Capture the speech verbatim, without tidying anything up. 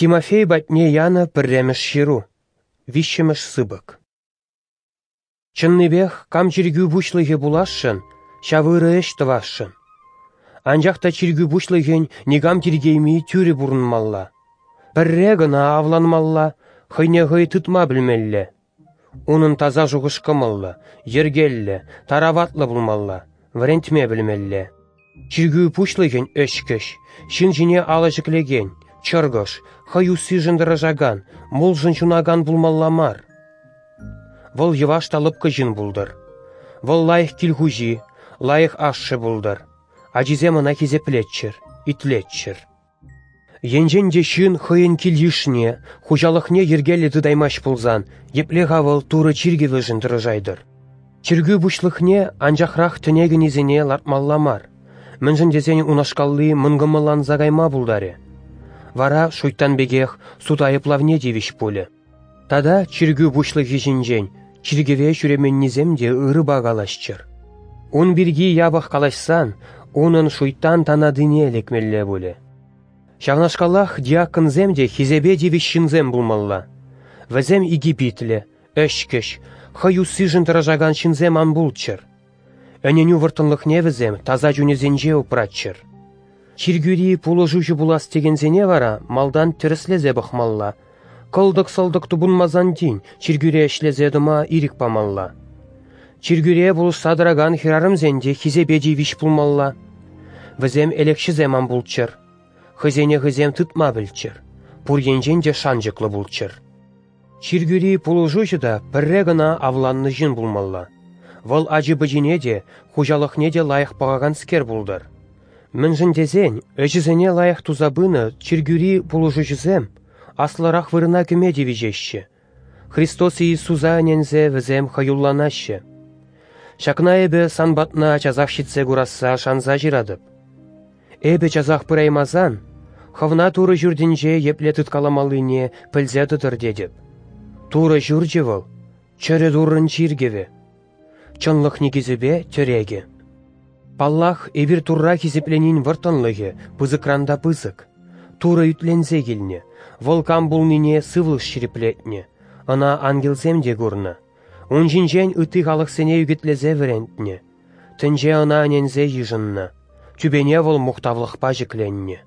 Тимофей патне янӑ пӗрремӗш ҫыру, виҫҫӗмӗш сыпӑк. Чӑннипех, кам чиркӳ пуҫлӑхӗ пуласшӑн, ҫав ырӑ ӗҫ тӑвасшӑн. Анчах та чиркӳ пуҫлӑхӗн никам тиркейми тӳрӗ пурӑнмалла. Пӗрре кӑна авланмалла, хӑйне хӑй тытма пӗлмелле. Унӑн таса шухӑш-кӑмӑллӑ, йӗркеллӗ, тараватлӑ пулмалла, вӗрентме пӗлмелле. Чиркӳ пуҫлӑхӗн ӗҫкӗҫ, ҫын ҫине алӑ ҫӗклекен, чӑркӑш, хӑй уссишӗн тӑрӑшакан, мулшӑн ҫунакан пулмалла мар. Вӑл йӑваш та лӑпкӑ ҫын пултӑр. Вӑл лайӑх кил хуҫи, лайӑх ашшӗ пултӑр. Ачисем ӑна хисеплеччӗр, итлеччӗр. Енчен те ҫын хӑйӗн кил-йышне, хуҫалӑхне йӗркеллӗ тытаймасть пулсан, епле-ха вӑл Турӑ чиркӗвӗшӗн тӑрӑшайтӑр? Чиркӳ пуҫлӑхне анчахрах тӗне кӗнисене лартмалла мар, мӗншӗн тесен унашкалли мӑнкӑмӑлланса кайма пултарӗ. Вара шуйттан пекех суд айӑплавне тивӗҫ пулӗ. Тата чиркӳ пуҫлӑхӗ ҫинчен чиркӗве ҫӳременнисем те ырӑпа калаҫчӑр. Ун пирки япӑх калаҫсан унӑн шуйттан танатине лекмелле пулӗ. Ҫавнашкалах диаконсем те хисепе тивӗҫ ҫынсем пулмалла. Вӗсем икӗ питлӗ, ӗҫкӗҫ, хӑй уссишӗн тӑрӑшакан ҫынсем ан пулччӑр. Ӗненӳ вӑрттӑнлӑхне вӗсем таса чунӗсенче упраччӑр. Чиркӳри пулӑшуҫӑ пулас текенсене вара малтан тӗрӗслесе пӑхмалла, кӑлтӑк-сӑлтӑк тупӑнмасан тин чиркӳре ӗҫлесе тӑма ирӗк памалла. Чиркӳре пулӑшса тӑракан хӗрарӑмсен те хисепе тивӗҫ пулмалла. Вӗсем элекҫӗсем ан пулччӑр, хӑйсене хӑйсем тытма пӗлччӗр, пур енчен те шанчӑклӑ пулччӑр. Чиркӳри пулӑшуҫӑ та пӗрре кӑна авланнӑ ҫын пулмалла. Вӑл ачи-пӑчине те, хуҫалӑхне те лайӑх пӑхаканскер пултӑр. Мӗншӗн тесен ӗҫӗсене лайӑх туса пынӑ чиркӳри пулӑшуҫӑсем аслӑрах вырӑна кӗме тивӗҫеҫҫӗ. Христос Иисуса ӗненсе вӗсем хӑюлланаҫҫӗ. Ҫакна эпӗ сан патна часах ҫитсе курасса шанса ҫыратӑп. Эпӗ часах пыраймасан, хӑвна Турӑ ҫуртӗнче епле тыткаламаллине пӗлсе тӑтӑр тетӗп. Турӑ ҫурчӗ вӑл, чӗрӗ Туррӑн чиркӗвӗ, чӑнлӑх никӗсӗпе тӗрекӗ. Паллах, эпир Турра хисепленин вӑрттӑнлӑхӗ пысӑкран та пысӑк. Турӑ ӳтленсе килнӗ, вӑл кам пулнине сывлӑш ҫирӗплетнӗ, ӑна ангелсем те курнӑ. Ун ҫинчен ытти халӑхсене ӳкӗтлесе вӗрентнӗ. Тӗнче ӑна ӗненсе йышӑннӑ. Тӳпене вӑл мухтавлӑхпа ҫӗкленнӗ.